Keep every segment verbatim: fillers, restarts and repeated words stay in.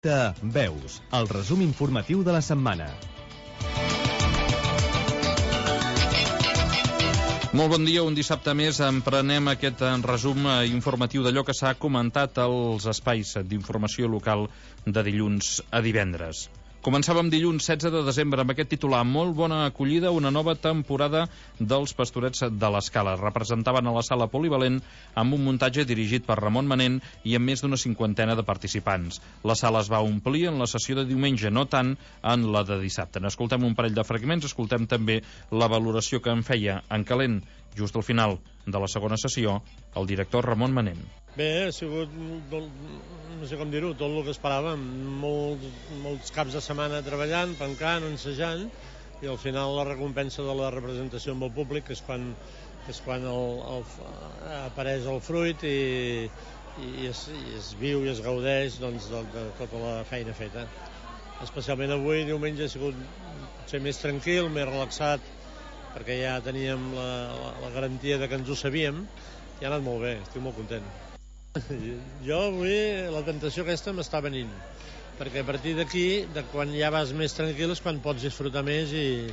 directe a Veus, el resum informatiu de la setmana. Molt bon dia, un dissabte més emprenem aquest resum informatiu d'allò que s'ha comentat als espais d'informació local de dilluns a divendres. Començàvem dilluns setze de desembre amb aquest titular: molt bona acollida, una nova temporada dels Pastorets de l'Escala. Representaven a la sala polivalent amb un muntatge dirigit per Ramon Manent i amb més d'una cinquantena de participants. La sala es va omplir en la sessió de diumenge, no tant en la de dissabte. N'escoltem un parell de fragments, escoltem també la valoració que en feia en calent, just al final de la segona sessió, el director Ramon Manent. Bé, ha sigut, no sé com dir-ho, tot el que esperàvem. Molts, molts caps de setmana treballant, pencant, ensajant, i al final la recompensa de la representació amb el públic, que és quan, és quan el, el, apareix el fruit i, i, es, i es viu i es gaudeix doncs, de, de tota la feina feta. Especialment avui, diumenge, ha sigut potser més tranquil, més relaxat, perquè ja teníem la, la, la garantia de que ens ho sabíem, i ha anat molt bé, estic molt content. Jo avui la tentació aquesta m'està venint, perquè a partir d'aquí, de quan ja vas més tranquil, és quan pots disfrutar més i,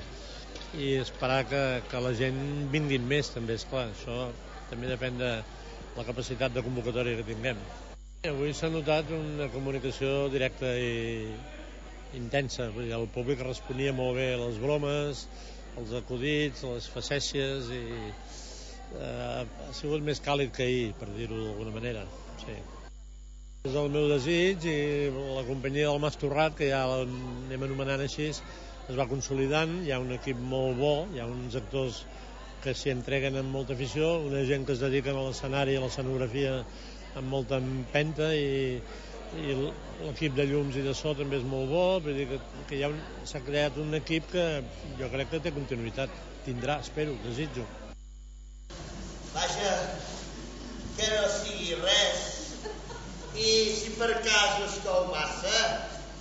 i esperar que, que la gent vinguin més, també, esclar. Això també depèn de la capacitat de convocatòria que tinguem. Avui s'ha notat una comunicació directa i intensa. Vull dir, el públic responia molt bé a les bromes, els acudits, les facècies, i Uh, ha sigut més càlid que ahir, per dir-ho d'alguna manera. Sí. És el meu desig, i la companyia del Mas Torrat, que ja l'anem anomenant així, es va consolidant. Hi ha un equip molt bo, hi ha uns actors que s'hi entreguen amb molta afició, una gent que es dediquen a l'escenari i a l'escenografia amb molta empenta, i, i l'equip de llums i de so també és molt bo. Vull dir que, que ja s'ha creat un equip que jo crec que té continuïtat. Tindrà, espero, desitjo. Vaja, que no sigui res. I si per cas us cou massa,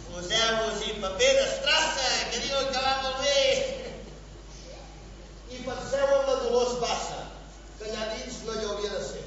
poseu-vos-hi paper d'estrassa, que diuen que va molt bé. I penseu en la Dolors Bassa, que allà dins no hi hauria de ser.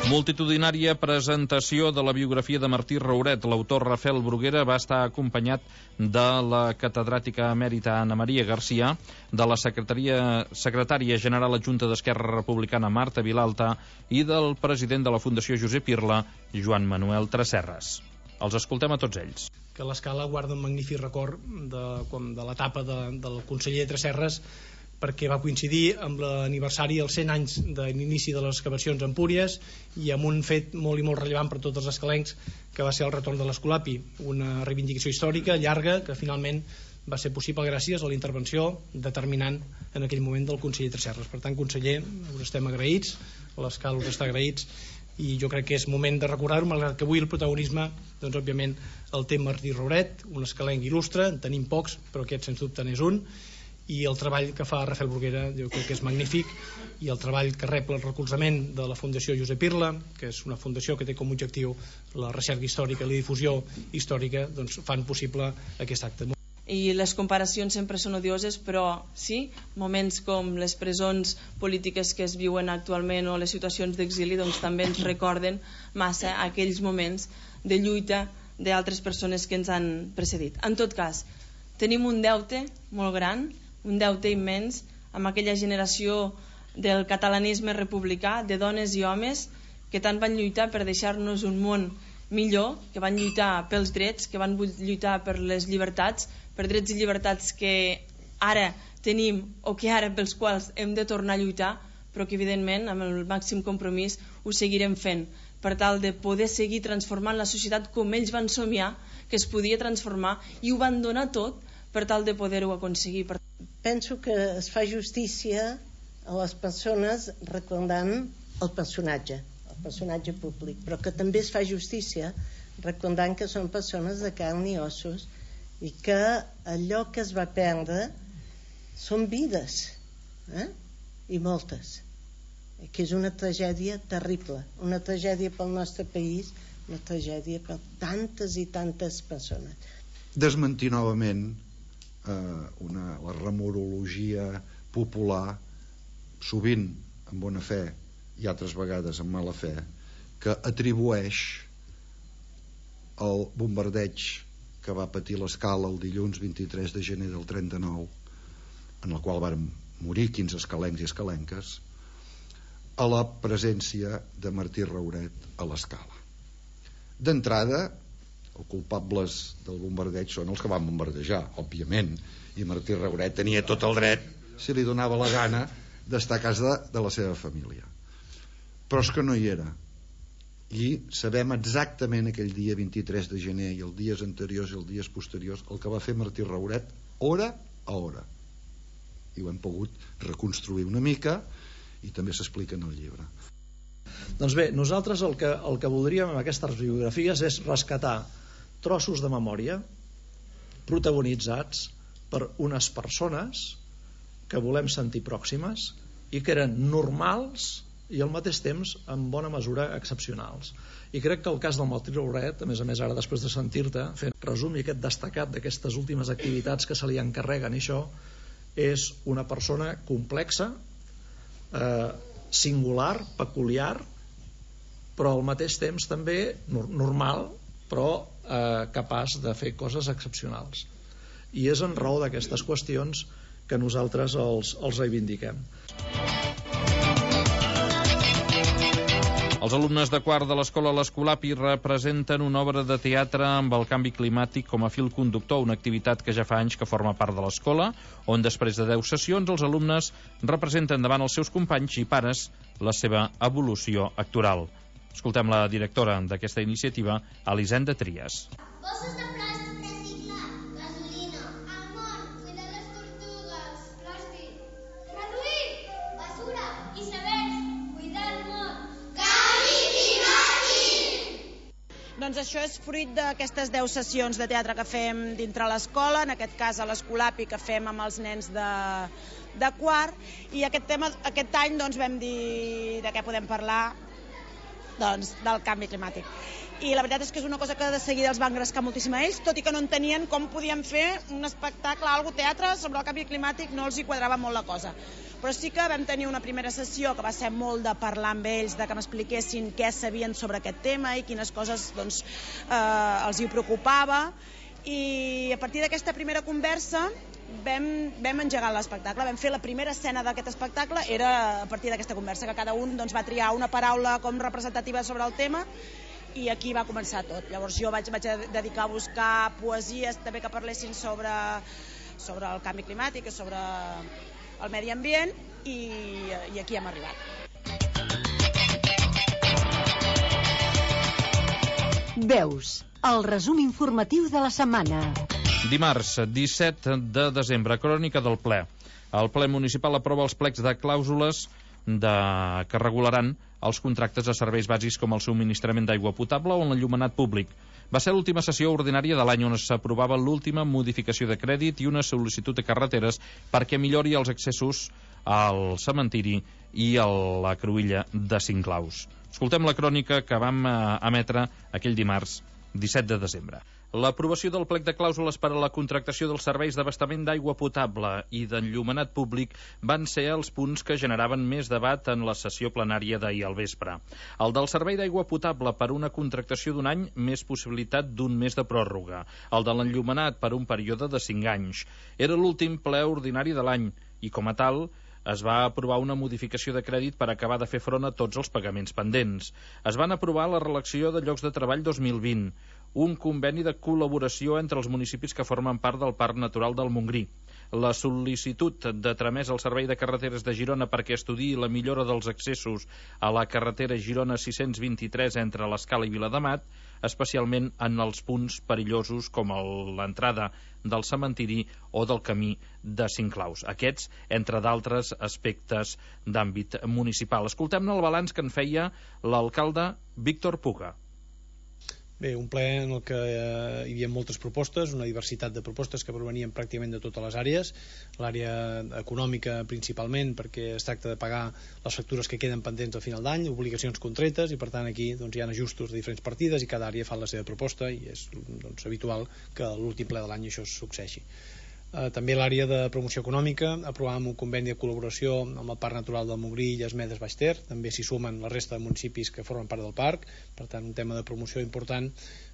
Multitudinària presentació de la biografia de Martí Rouret. L'autor Rafael Bruguera va estar acompanyat de la catedràtica emèrita Ana Maria Garcia, de la secretaria, secretària general adjunta d'Esquerra Republicana Marta Vilalta i del president de la Fundació Josep Irla, Joan Manuel Tresserras. Els escoltem a tots ells. Que l'Escala guarda un magnífic record de, de l'etapa de, del conseller Tresserras, perquè va coincidir amb l'aniversari dels cent anys de l'inici de les excavacions a Empúries, i amb un fet molt i molt rellevant per tots els escalencs, que va ser el retorn de l'Escolapi, una reivindicació històrica llarga que finalment va ser possible gràcies a la intervenció determinant en aquell moment del conseller Tresserras. Per tant, conseller, us estem agraïts, l'Escala us està agraïts, i jo crec que és moment de recordar-ho, malgrat que avui el protagonisme, doncs òbviament el té Martí Rouret, un escalenc il·lustre, en tenim pocs, però aquest sens dubte n'és un, i el treball que fa Rafael Bruguera jo crec que és magnífic, i el treball que rep el recolzament de la Fundació Josep Irla, que és una fundació que té com a objectiu la recerca històrica i la difusió històrica, doncs fan possible aquest acte. I les comparacions sempre són odioses, però sí, moments com les presons polítiques que es viuen actualment o les situacions d'exili doncs també ens recorden massa aquells moments de lluita d'altres persones que ens han precedit. En tot cas, tenim un deute molt gran, un deute immens amb aquella generació del catalanisme republicà, de dones i homes que tant van lluitar per deixar-nos un món millor, que van lluitar pels drets, que van lluitar per les llibertats, per drets i llibertats que ara tenim o que ara pels quals hem de tornar a lluitar, però que evidentment amb el màxim compromís ho seguirem fent per tal de poder seguir transformant la societat com ells van somiar que es podia transformar, i ho van donar tot per tal de poder-ho aconseguir. Penso que es fa justícia a les persones recordant el personatge, el personatge públic, però que també es fa justícia recordant que són persones de carn i ossos i que allò que es va perdre són vides, eh? I moltes, que és una tragèdia terrible, una tragèdia pel nostre país, una tragèdia per tantes i tantes persones. Desmentir novament eh, una, la remorologia popular, sovint amb bona fe i altres vegades amb mala fe, que atribueix el bombardeig que va patir l'Escala el dilluns vint-i-tres de gener del trenta-nou, en el qual van morir quinze escalencs i escalenques, a la presència de Martí Rauret a l'Escala. D'entrada, els culpables del bombardeig són els que van bombardejar, òbviament, i Martí Rauret tenia tot el dret, si li donava la gana, d'estar a casa de la seva família. Però és que no hi era. I sabem exactament aquell dia vint-i-tres de gener i els dies anteriors i els dies posteriors el que va fer Martí Rauret hora a hora, i ho hem pogut reconstruir una mica i també s'explica en el llibre. Doncs bé, nosaltres el que, el que voldríem amb aquestes biografies és rescatar trossos de memòria protagonitzats per unes persones que volem sentir pròximes i que eren normals i al mateix temps en bona mesura excepcionals. I crec que el cas del Martí Rauret, a més a més ara després de sentir-te fent resum i aquest destacat d'aquestes últimes activitats que se li encarreguen, i això és una persona complexa, eh, singular, peculiar, però al mateix temps també normal, però eh, capaç de fer coses excepcionals. I és en raó d'aquestes qüestions que nosaltres els, els reivindiquem. Els alumnes de quart de l'escola L'Escolapi representen una obra de teatre amb el canvi climàtic com a fil conductor, una activitat que ja fa anys que forma part de l'escola, on després de deu sessions els alumnes representen davant els seus companys i pares la seva evolució actoral. Escoltem la directora d'aquesta iniciativa, Elisenda Trias. Bosses de plàstic reciclat, gasolina, el món, cuidar les tortugues, plàstic, reduir, basura, icebergs, cuidar el món. Doncs això és fruit d'aquestes deu sessions de teatre que fem dintre l'escola, en aquest cas a l'Escolapi, que fem amb els nens de, de quart, i aquest, tema, aquest any doncs, vam dir de què podem parlar, doncs, del canvi climàtic. I la veritat és que és una cosa que de seguida els va engrescar moltíssim a ells, tot i que no entenien com podien fer un espectacle, algo teatre sobre el canvi climàtic, no els hi quadrava molt la cosa. Però sí que vam tenir una primera sessió que va ser molt de parlar amb ells, de que m'expliquessin què sabien sobre aquest tema i quines coses doncs, eh, els hi preocupava. I a partir d'aquesta primera conversa vam, vam engegar l'espectacle, vam fer la primera escena d'aquest espectacle, era a partir d'aquesta conversa, que cada un doncs, va triar una paraula com representativa sobre el tema, i aquí va començar tot. Llavors jo vaig, vaig dedicar a buscar poesies també que parlessin sobre, sobre el canvi climàtic, sobre el medi ambient, i, i aquí hem arribat. Veus, el resum informatiu de la setmana. Dimarts, disset de desembre, crònica del ple. El ple municipal aprova els plecs de clàusules de... que regularan els contractes de serveis bàsics com el subministrament d'aigua potable o l'enllumenat públic. Va ser l'última sessió ordinària de l'any on s'aprovava l'última modificació de crèdit i una sol·licitud de carreteres perquè millori els accessos al cementiri i a la cruïlla de Cinclaus. Escoltem la crònica que vam emetre aquell dimarts disset de desembre. L'aprovació del plec de clàusules per a la contractació dels serveis d'abastament d'aigua potable i d'enllumenat públic van ser els punts que generaven més debat en la sessió plenària d'ahir al vespre. El del servei d'aigua potable per una contractació d'un any, més possibilitat d'un mes de pròrroga. El de l'enllumenat per un període de cinc anys. Era l'últim ple ordinari de l'any i, com a tal, es va aprovar una modificació de crèdit per acabar de fer front a tots els pagaments pendents. Es van aprovar la relació de llocs de treball dos mil vint, un conveni de col·laboració entre els municipis que formen part del Parc Natural del Montgrí, la sol·licitud de tramès al Servei de Carreteres de Girona perquè estudiï la millora dels accessos a la carretera Girona sis-cents vint-i-tres entre l'Escala i Viladamat, especialment en els punts perillosos com l'entrada del cementiri o del camí de Cinclaus. Aquests, entre d'altres aspectes d'àmbit municipal. Escoltem-ne el balanç que en feia l'alcalde Víctor Puga. Bé, un ple en el que eh, hi havia moltes propostes, una diversitat de propostes que provenien pràcticament de totes les àrees, l'àrea econòmica principalment, perquè es tracta de pagar les factures que queden pendents al final d'any, obligacions contretes, i per tant aquí doncs, hi ha ajustos de diferents partides i cada àrea fa la seva proposta i és doncs, habitual que a l'últim ple de l'any això succeeixi. Eh, també l'àrea de promoció econòmica, aprovàvem un conveni de col·laboració amb el Parc Natural del Montgrí i Lles-Medes Baix Ter, també s'hi sumen la resta de municipis que formen part del parc, per tant un tema de promoció important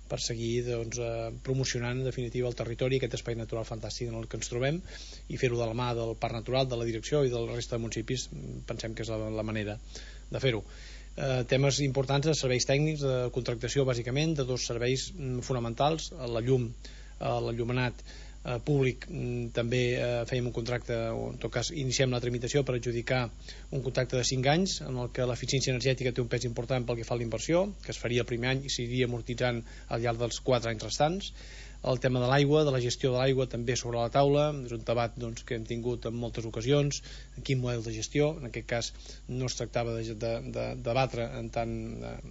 per seguir doncs, eh, promocionant en definitiva el territori, aquest espai natural fantàstic en el que ens trobem, i fer-ho de la mà del Parc Natural, de la direcció i de la resta de municipis, pensem que és la, la manera de fer-ho. Eh, temes importants de serveis tècnics, de contractació bàsicament, de dos serveis mm, fonamentals, la llum, eh, l'enllumenat Eh, públic, també eh, fèiem un contracte, o en tot cas iniciem la tramitació per adjudicar un contracte de cinc anys en el que l'eficiència energètica té un pes important pel que fa a la inversió, que es faria el primer any i s'iria amortitzant al llarg dels quatre anys restants. El tema de l'aigua, de la gestió de l'aigua també sobre la taula, és un debat doncs, que hem tingut en moltes ocasions, en quin model de gestió, en aquest cas no es tractava de, de, de debatre en, tant,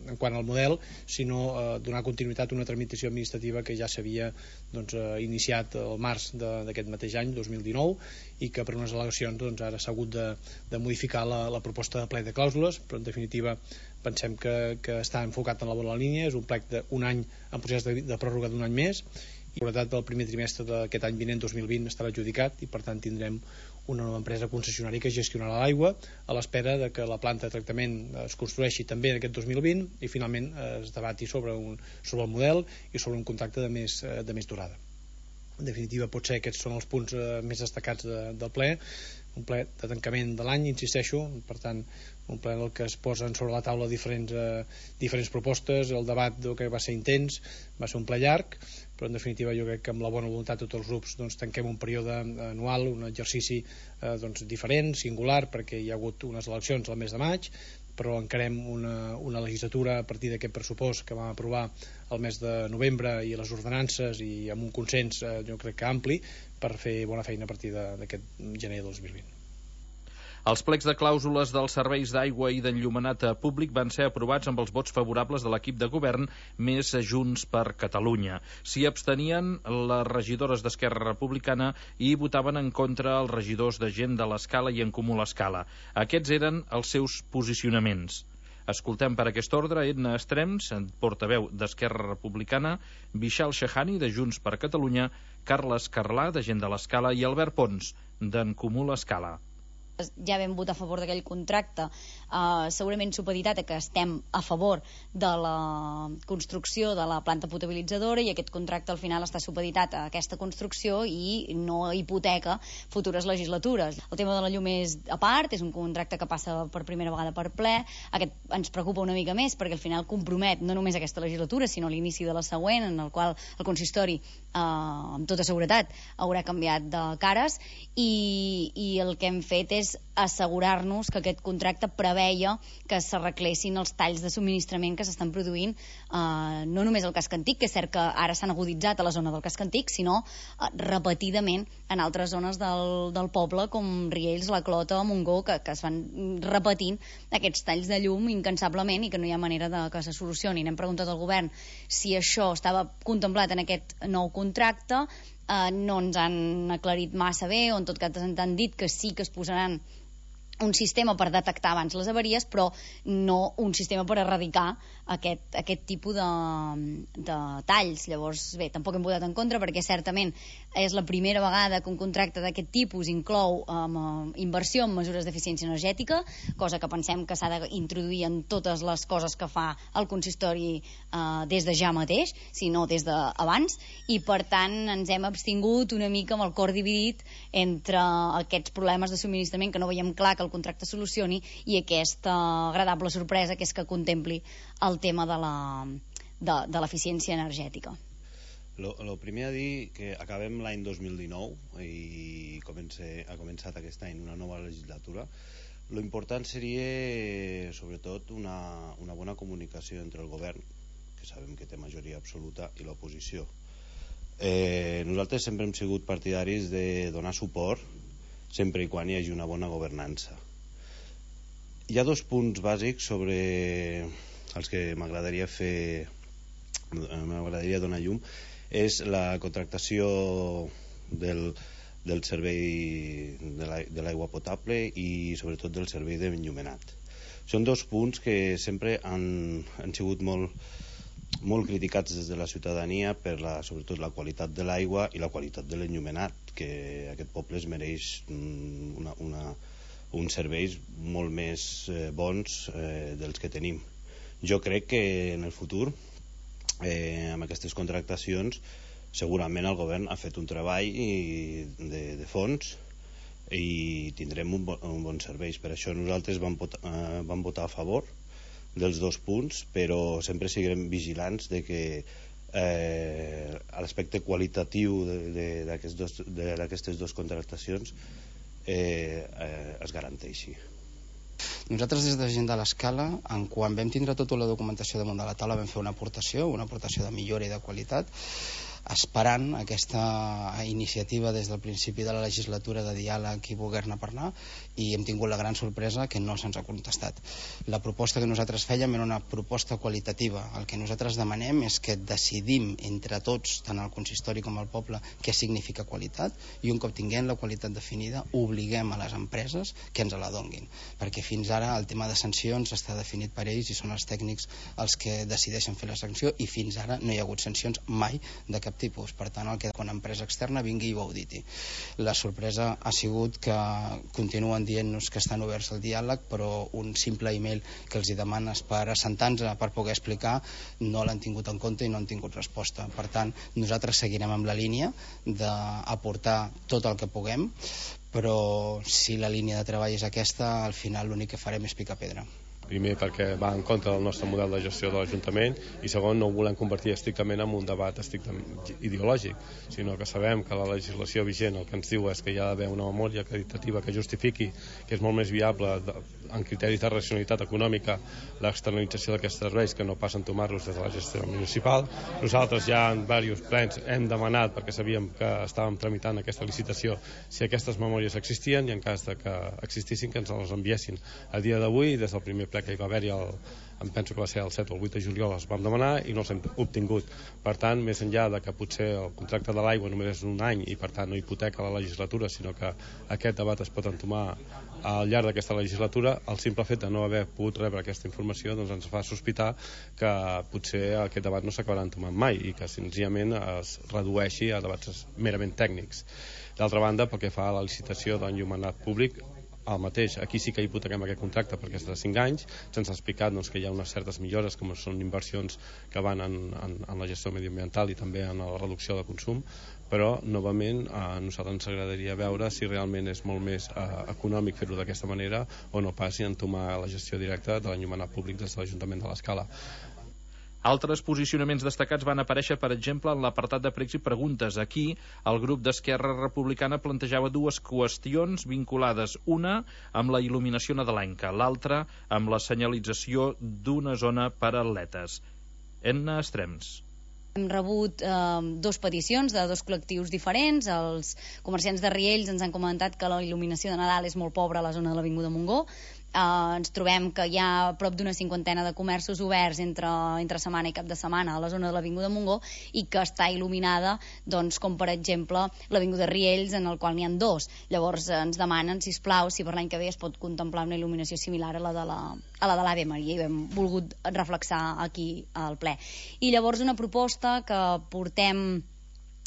en quant al model, sinó eh, donar continuïtat a una tramitació administrativa que ja s'havia doncs, eh, iniciat el març d'aquest mateix any, dos mil dinou, i que per unes al·legacions doncs, ara s'ha hagut de, de modificar la, la proposta de plec de clàusules, però en definitiva pensem que, que està enfocat en la bona línia, és un plec d'un any en procés de, de pròrroga d'un any més, i la veritat del primer trimestre d'aquest any vinent dos mil vint estarà adjudicat i per tant tindrem una nova empresa concessionària que gestionarà l'aigua a l'espera de que la planta de tractament es construeixi també en aquest dos mil vint i finalment es debati sobre, un, sobre el model i sobre un contracte de més, de més durada. En definitiva, potser aquests són els punts eh, més destacats de, del ple, un ple de tancament de l'any, insisteixo, per tant, un ple en el que es posen sobre la taula diferents, eh, diferents propostes, el debat que va ser intens, va ser un ple llarg, però en definitiva jo crec que amb la bona voluntat de tots els grups doncs, tanquem un període anual, un exercici eh, doncs, diferent, singular, perquè hi ha hagut unes eleccions al mes de maig, però encarem una, una legislatura a partir d'aquest pressupost que vam aprovar el mes de novembre i les ordenances i amb un consens eh, jo crec que ampli per fer bona feina a partir d'aquest gener de dos mil vint. Els plecs de clàusules dels serveis d'aigua i d'enllumenat públic van ser aprovats amb els vots favorables de l'equip de govern més Junts per Catalunya. S'hi abstenien les regidores d'Esquerra Republicana i votaven en contra els regidors de Gent de l'Escala i en Comú l'Escala. Aquests eren els seus posicionaments. Escoltem per aquest ordre Edna Estrems, portaveu d'Esquerra Republicana, Vishal Shahani, de Junts per Catalunya, Carles Carlà, de Gent de l'Escala, i Albert Pons, d'en Comú l'Escala. Ja vam votar a favor d'aquell contracte, uh, segurament supeditat a que estem a favor de la construcció de la planta potabilitzadora i aquest contracte al final està supeditat a aquesta construcció i no hipoteca futures legislatures. El tema de la llum és a part, és un contracte que passa per primera vegada per ple, aquest ens preocupa una mica més perquè al final compromet no només aquesta legislatura sinó l'inici de la següent, en el qual el consistori uh, amb tota seguretat haurà canviat de cares i, i el que hem fet és és assegurar-nos que aquest contracte preveia que s'arreglessin els talls de subministrament que s'estan produint, eh, no només al casc antic, que és cert que ara s'han aguditzat a la zona del casc antic, sinó eh, repetidament en altres zones del, del poble, com Riells, la Clota, Montgó, que, que es van repetint aquests talls de llum incansablement i que no hi ha manera de que se solucionin. Hem preguntat al govern si això estava contemplat en aquest nou contracte, eh, no ens han aclarit massa bé, o en tot cas ens han dit que sí que es posaran un sistema per detectar abans les avaries, però no un sistema per erradicar aquest, aquest tipus de, de talls. Llavors, bé, tampoc hem votat en contra, perquè certament és la primera vegada que un contracte d'aquest tipus inclou um, inversió en mesures d'eficiència energètica, cosa que pensem que s'ha d'introduir en totes les coses que fa el consistori uh, des de ja mateix, sinó des d'abans, i per tant ens hem abstingut una mica amb el cor dividit entre aquests problemes de subministrament que no veiem clar que el contracte solucioni i aquesta agradable sorpresa que és que contempli el tema de la, de, de l'eficiència energètica. Lo, lo primer a dir que acabem l'any dos mil dinou i comence, ha començat aquest any una nova legislatura. Lo important seria sobretot una, una bona comunicació entre el govern, que sabem que té majoria absoluta, i l'oposició. Eh, nosaltres sempre hem sigut partidaris de donar suport sempre i quan hi hagi una bona governança. Hi ha dos punts bàsics sobre els que m'agradaria fer m'agradaria donar llum. És la contractació del, del servei de l'aigua potable i sobretot del servei d'enllumenat. Són dos punts que sempre han, han sigut molt molt criticats des de la ciutadania per la, sobretot la qualitat de l'aigua i la qualitat de l'enllumenat, que aquest poble es mereix una, una, uns serveis molt més eh, bons eh, dels que tenim. Jo crec que en el futur, eh, amb aquestes contractacions, segurament el govern ha fet un treball de, de fons i tindrem un, bo, un bon servei. Per això nosaltres vam votar, eh, vam votar a favor dels dos punts, però sempre seguirem vigilants de que eh, l'aspecte qualitatiu d'aquestes dues contractacions eh, eh, es garanteixi. Nosaltres des de Gent de l'Escala, en quan vam tindre tota la documentació damunt de la taula, vam fer una aportació, una aportació de millora i de qualitat, esperant aquesta iniciativa des del principi de la legislatura de diàleg i voler-ne parlar, i hem tingut la gran sorpresa que no se'ns ha contestat. La proposta que nosaltres fèiem era una proposta qualitativa. El que nosaltres demanem és que decidim entre tots, tant el consistori com el poble, què significa qualitat, i un cop tinguem la qualitat definida obliguem a les empreses que ens la donguin, perquè fins ara el tema de sancions està definit per ells i són els tècnics els que decideixen fer la sanció, i fins ara no hi ha hagut sancions mai de cap tipus. Per tant, el que una empresa externa vingui i ho auditi. La sorpresa ha sigut que continuen dient-nos que estan oberts al diàleg, però un simple e-mail que els hi demanes per assentar-nos, per poder explicar, no l'han tingut en compte i no han tingut resposta. Per tant, nosaltres seguirem amb la línia d'aportar tot el que puguem, però si la línia de treball és aquesta, al final l'únic que farem és picar pedra. Primer perquè va en contra del nostre model de gestió de l'Ajuntament, i segon, no ho volem convertir estrictament en un debat estrictament ideològic, sinó que sabem que la legislació vigent el que ens diu és que hi ha d'haver una memòria acreditativa que justifiqui que és molt més viable de, en criteris de racionalitat econòmica l'externalització d'aquests serveis que no pas entomar-los des de la gestió municipal. Nosaltres ja en diversos plens hem demanat, perquè sabíem que estàvem tramitant aquesta licitació, si aquestes memòries existien, i en cas de que existissin que ens les enviessin. A dia d'avui, des del primer ple que hi va haver-hi, el, em penso que va ser el set o el vuit de juliol, els vam demanar i no els hem obtingut. Per tant, més enllà de que potser el contracte de l'aigua només és un any i per tant no hipoteca la legislatura, sinó que aquest debat es pot entomar al llarg d'aquesta legislatura, el simple fet de no haver pogut rebre aquesta informació doncs ens fa sospitar que potser aquest debat no s'acabarà entomant mai i que senzillament es redueixi a debats merament tècnics. D'altra banda, pel que fa a la licitació d'enllumenat públic, el mateix, aquí sí que hipotequem aquest contracte perquè és de cinc anys, se'ns ha explicat doncs, que hi ha unes certes millores, com són inversions que van en, en, en la gestió mediambiental i també en la reducció de consum, però novament a nosaltres ens agradaria veure si realment és molt més eh, econòmic fer-ho d'aquesta manera o no pas si entomar la gestió directa de l'enllumenat públic des de l'Ajuntament de l'Escala. Altres posicionaments destacats van aparèixer, per exemple, en l'apartat de pregs i preguntes. Aquí, el grup d'Esquerra Republicana plantejava dues qüestions vinculades, una amb la il·luminació nadalenca, l'altra amb la senyalització d'una zona per a atletes. Enna Estrems. Hem rebut eh, dos peticions de dos col·lectius diferents. Els comerciants de Riells ens han comentat que la il·luminació de Nadal és molt pobra a la zona de l'Avinguda Montgó. Uh, ens trobem que hi ha prop d'una cinquantena de comerços oberts entre, entre setmana i cap de setmana a la zona de l'Avinguda Montgó i que està il·luminada, doncs, com per exemple l'Avinguda Riells, en el qual n'hi ha dos. Llavors ens demanen, sisplau, si per l'any que ve es pot contemplar una il·luminació similar a la de la, a la de l'Ave Maria, i hem volgut reflexar aquí al ple. I llavors una proposta que portem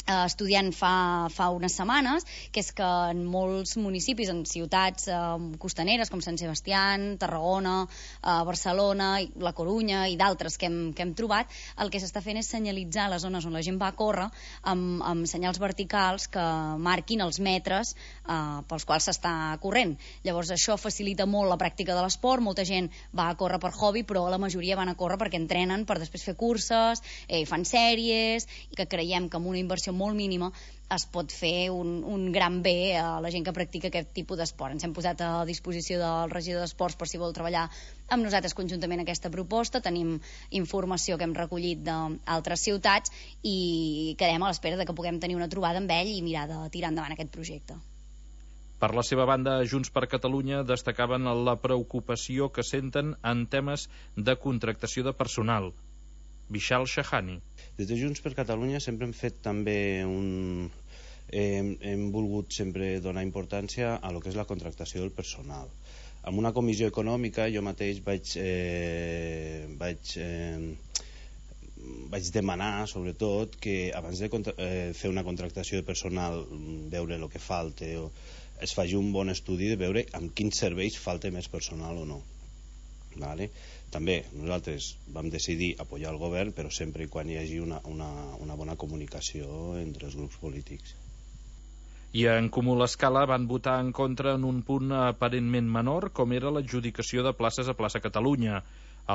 estudiant fa, fa unes setmanes, que és que en molts municipis, en ciutats eh, costaneres com Sant Sebastián, Tarragona, eh, Barcelona, La Corunya i d'altres que hem, que hem trobat, el que s'està fent és senyalitzar les zones on la gent va a córrer amb, amb senyals verticals que marquin els metres eh, pels quals s'està corrent. Llavors això facilita molt la pràctica de l'esport, molta gent va a córrer per hobby, però la majoria van a córrer perquè entrenen per després fer curses, eh, fan sèries, i que creiem que amb una inversió molt mínima es pot fer un, un gran bé a la gent que practica aquest tipus d'esport. Ens hem posat a disposició del regidor d'Esports per si vol treballar amb nosaltres conjuntament aquesta proposta. Tenim informació que hem recollit d'altres ciutats i quedem a l'espera de que puguem tenir una trobada amb ell i mirar de tirar endavant aquest projecte. Per la seva banda, Junts per Catalunya destacaven la preocupació que senten en temes de contractació de personal. Vishal Shahani. Des de Junts per Catalunya sempre hem fet també un... Hem, hem volgut sempre donar importància a lo que és la contractació del personal. En una comissió econòmica jo mateix vaig, eh, vaig, eh, vaig demanar, sobretot, que abans de contra eh, fer una contractació de personal, veure el que falta, o es faci un bon estudi de veure amb quins serveis falta més personal o no. Vale? També nosaltres vam decidir apoyar el govern, però sempre i quan hi hagi una, una, una bona comunicació entre els grups polítics. I en Comú l'Escala van votar en contra en un punt aparentment menor, com era l'adjudicació de places a Plaça Catalunya.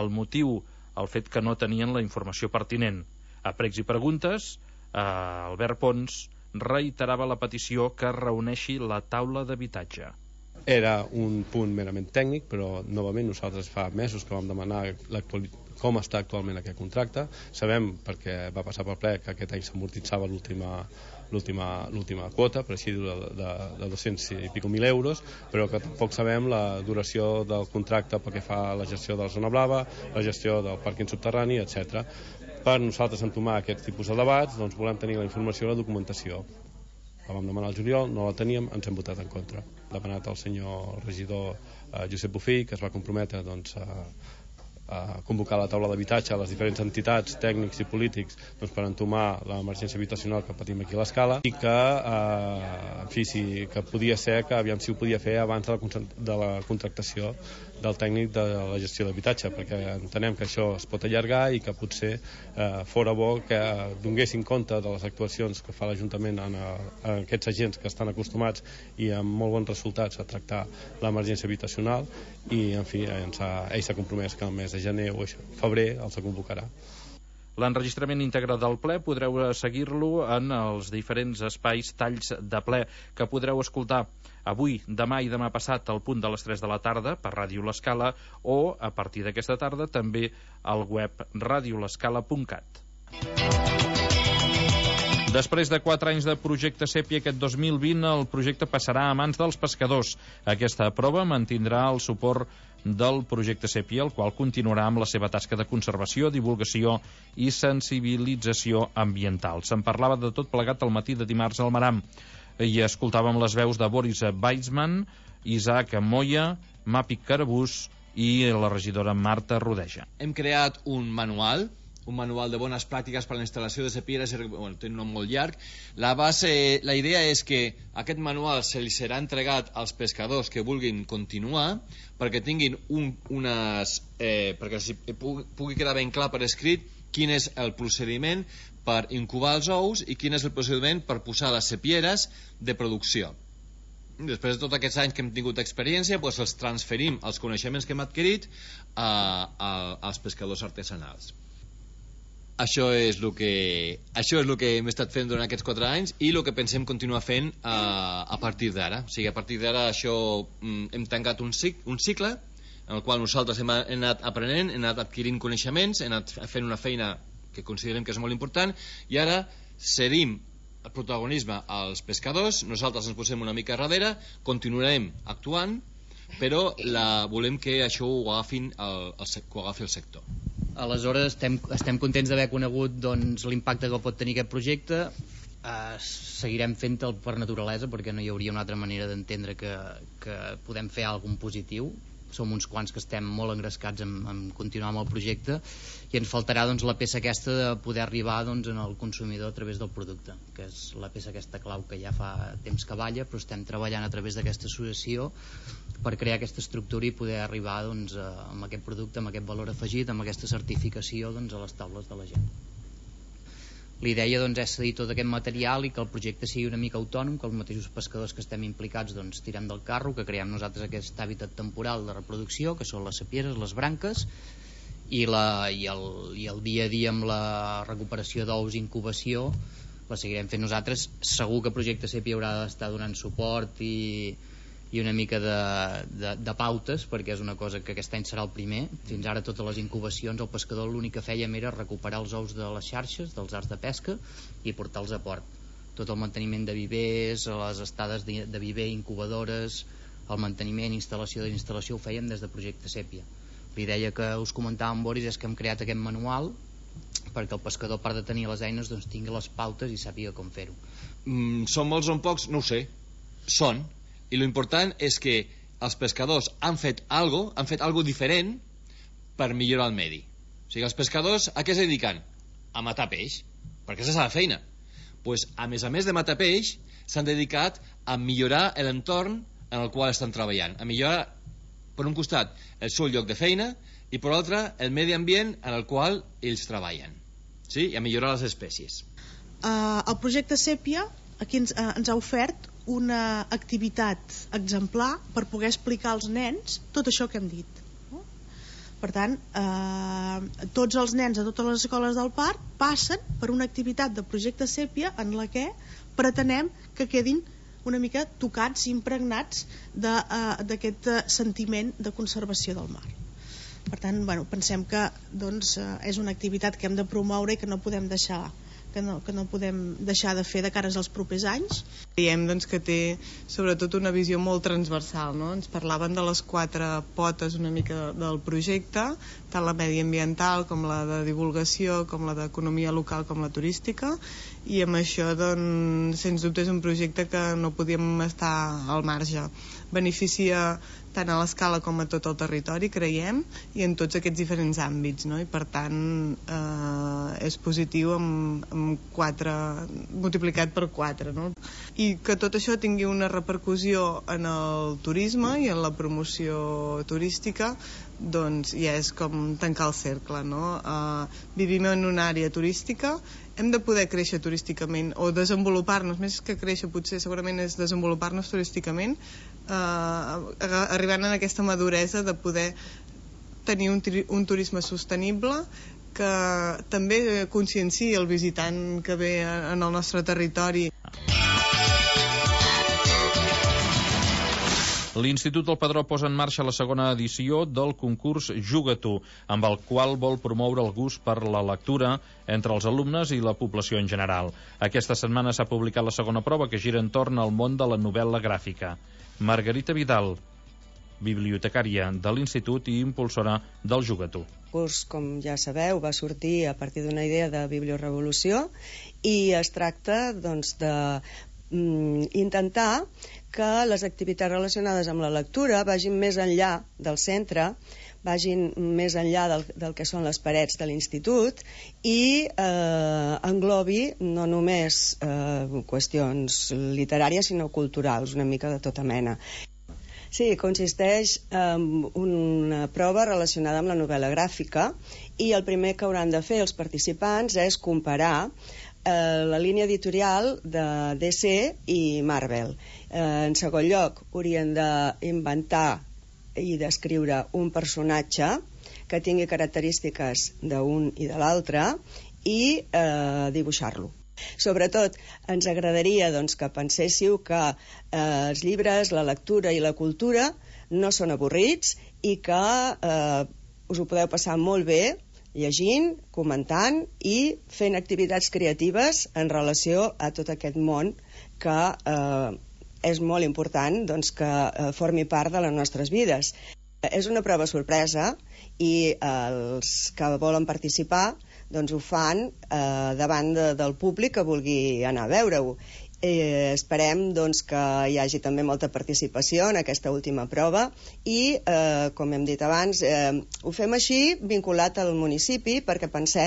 El motiu, el fet que no tenien la informació pertinent. A pregs i preguntes, eh, Albert Pons reiterava la petició que reuneixi la taula d'habitatge. Era un punt merament tècnic, però novament nosaltres fa mesos que vam demanar com està actualment aquest contracte. Sabem, perquè va passar pel ple, que aquest any s'amortitzava l'última l'última quota, per així dir, de, de, de dos-cents i pico mil euros, però que tampoc sabem la duració del contracte pel que fa a la gestió de la zona blava, la gestió del pàrquing subterrani, etcètera. Per nosaltres entomar aquest tipus de debats, doncs volem tenir la informació i la documentació. La vam demanar al juliol, no la teníem, ens hem votat en contra. Ha demanat el senyor regidor eh, Josep Bofill, que es va comprometre doncs, a, a convocar la taula d'habitatge a les diferents entitats, tècnics i polítics, doncs, per entomar l'emergència habitacional que patim aquí a l'Escala, i que, eh, en fi, sí, que podia ser que aviam si ho podia fer abans de la, de la contractació del tècnic de la gestió d'habitatge, perquè entenem que això es pot allargar i que potser eh, fora bo que donguessin compte de les actuacions que fa l'Ajuntament en, en aquests agents que estan acostumats i amb molt bons resultats a tractar l'emergència habitacional, i en fi, ens ha, ell s'ha compromès que el mes de gener o febrer els convocarà. L'enregistrament íntegre del ple podreu seguir-lo en els diferents espais talls de ple que podreu escoltar avui, demà i demà passat al punt de les tres de la tarda per Ràdio L'Escala, o a partir d'aquesta tarda també al web radio l'escala punt cat. Després de quatre anys de projecte Sèpia, aquest dos mil vint el projecte passarà a mans dels pescadors. Aquesta prova mantindrà el suport del projecte Sèpia, el qual continuarà amb la seva tasca de conservació, divulgació i sensibilització ambiental. Se'n parlava de tot plegat al matí de dimarts al Maram i escoltàvem les veus de Boris Weissman, Isaac Moya, Mapi Carabús i la regidora Marta Rodeja. Hem creat un manual un manual de bones pràctiques per a la instal·lació de sepieres, bueno, té un nom molt llarg. La base, la idea és que aquest manual se li serà entregat als pescadors que vulguin continuar, perquè tinguin un, unes eh, perquè si pugui, pugui quedar ben clar per escrit quin és el procediment per incubar els ous i quin és el procediment per posar les sepieres de producció. Després de tots aquests anys que hem tingut experiència, doncs els transferim els coneixements que hem adquirit a, a, als pescadors artesanals. això és el que això és el que hem estat fent durant aquests quatre anys i el que pensem continuar fent a, a partir d'ara. O sigui, a partir d'ara això hem tancat un, cic, un cicle en el qual nosaltres hem anat aprenent, hem anat adquirint coneixements, hem anat fent una feina que considerem que és molt important i ara cedim el protagonisme als pescadors, nosaltres ens posem una mica darrere, continuarem actuant, però la, volem que això ho, agafin el, el, que ho agafi el sector. Aleshores estem, estem contents d'haver conegut doncs, l'impacte que pot tenir aquest projecte. Eh, seguirem fent-el per naturalesa perquè no hi hauria una altra manera d'entendre que, que podem fer alguna cosa positiu. Som uns quants que estem molt engrescats en, en continuar amb el projecte i ens faltarà doncs, la peça aquesta de poder arribar doncs, en el consumidor a través del producte, que és la peça aquesta clau que ja fa temps que balla, però estem treballant a través d'aquesta associació per crear aquesta estructura i poder arribar doncs, a, amb aquest producte, amb aquest valor afegit, amb aquesta certificació doncs, a les taules de la gent. L'idea doncs, és cedir tot aquest material i que el projecte sigui una mica autònom, que els mateixos pescadors que estem implicats doncs, tirem del carro, que creem nosaltres aquest hàbitat temporal de reproducció, que són les sapieres, les branques, i, la, i, el, i el dia a dia amb la recuperació d'ous i incubació la seguirem fent nosaltres. Segur que el projecte Sèpia haurà d'estar donant suport i, i una mica de, de, de pautes, perquè és una cosa que aquest any serà el primer. Fins ara totes les incubacions el pescador l'únic que fèiem era recuperar els ous de les xarxes, dels arts de pesca i portar-los a port. Tot el manteniment de vivers, les estades de, de viver, incubadores, el manteniment, instal·lació de instal·lació ho fèiem des de projecte Sèpia. L'idea que us comentava amb Boris és que hem creat aquest manual perquè el pescador, a part de tenir les eines, doncs tingui les pautes i sàpiga com fer-ho. Mm, són molts o pocs? No ho sé. Són. I l'important és que els pescadors han fet algo, han fet algo diferent per millorar el medi. O sigui, els pescadors a què es dediquen? A matar peix, perquè és la feina. Pues, a més a més de matar peix, s'han dedicat a millorar l'entorn en el qual estan treballant, a millorar, per un costat, el seu lloc de feina i per l'altre, el medi ambient en el qual ells treballen, sí? I a millorar les espècies. Uh, el projecte Sèpia aquí ens, uh, ens ha ofert una activitat exemplar per poder explicar als nens tot això que hem dit. No? Per tant, eh, tots els nens a totes les escoles del parc passen per una activitat de projecte Sèpia en la que pretenem que quedin una mica tocats i impregnats d'aquest uh, sentiment de conservació del mar. Per tant, bueno, pensem que doncs, uh, és una activitat que hem de promoure i que no podem deixar que no, que no podem deixar de fer de cares als propers anys. Creiem doncs, que té sobretot una visió molt transversal, no? Ens parlaven de les quatre potes una mica del projecte, tant la mediambiental com la de divulgació, com la d'economia local com la turística, i amb això doncs, sens dubte és un projecte que no podíem estar al marge. Beneficia tant a l'escala com a tot el territori, creiem, i en tots aquests diferents àmbits, no? I per tant eh, és positiu amb, amb quatre, multiplicat per quatre, no? I que tot això tingui una repercussió en el turisme i en la promoció turística, doncs ja és com tancar el cercle, no? Eh, vivim en una àrea turística, hem de poder créixer turísticament o desenvolupar-nos, més que créixer potser segurament és desenvolupar-nos turísticament, eh, arribant a aquesta maduresa de poder tenir un, un turisme sostenible que també conscienciï el visitant que ve en el nostre territori. L'Institut del Padró posa en marxa la segona edició del concurs Juga-t'ho, amb el qual vol promoure el gust per la lectura entre els alumnes i la població en general. Aquesta setmana s'ha publicat la segona prova, que gira entorn al món de la novel·la gràfica. Margarita Vidal, bibliotecària de l'Institut i impulsora del Juga-t'ho. El curs, com ja sabeu, va sortir a partir d'una idea de bibliorevolució i es tracta doncs, de mm, intentar que les activitats relacionades amb la lectura vagin més enllà del centre, vagin més enllà del, del que són les parets de l'institut i eh, englobi no només eh, qüestions literàries sinó culturals, una mica de tota mena. Sí, consisteix en una prova relacionada amb la novel·la gràfica i el primer que hauran de fer els participants és comparar eh, la línia editorial de D C i Marvel. Eh, en segon lloc, haurien d'inventar i descriure un personatge que tingui característiques d'un i de l'altre i eh, dibuixar-lo. Sobretot, ens agradaria doncs, que penséssiu que eh, els llibres, la lectura i la cultura no són avorrits i que eh, us ho podeu passar molt bé llegint, comentant i fent activitats creatives en relació a tot aquest món que eh, és molt important doncs, que eh, formi part de les nostres vides. És una prova sorpresa i els que volen participar doncs ho fan eh, davant de, del públic que vulgui anar a veure-ho. Eh, esperem doncs, que hi hagi també molta participació en aquesta última prova i, eh, com hem dit abans, eh, ho fem així vinculat al municipi perquè pensem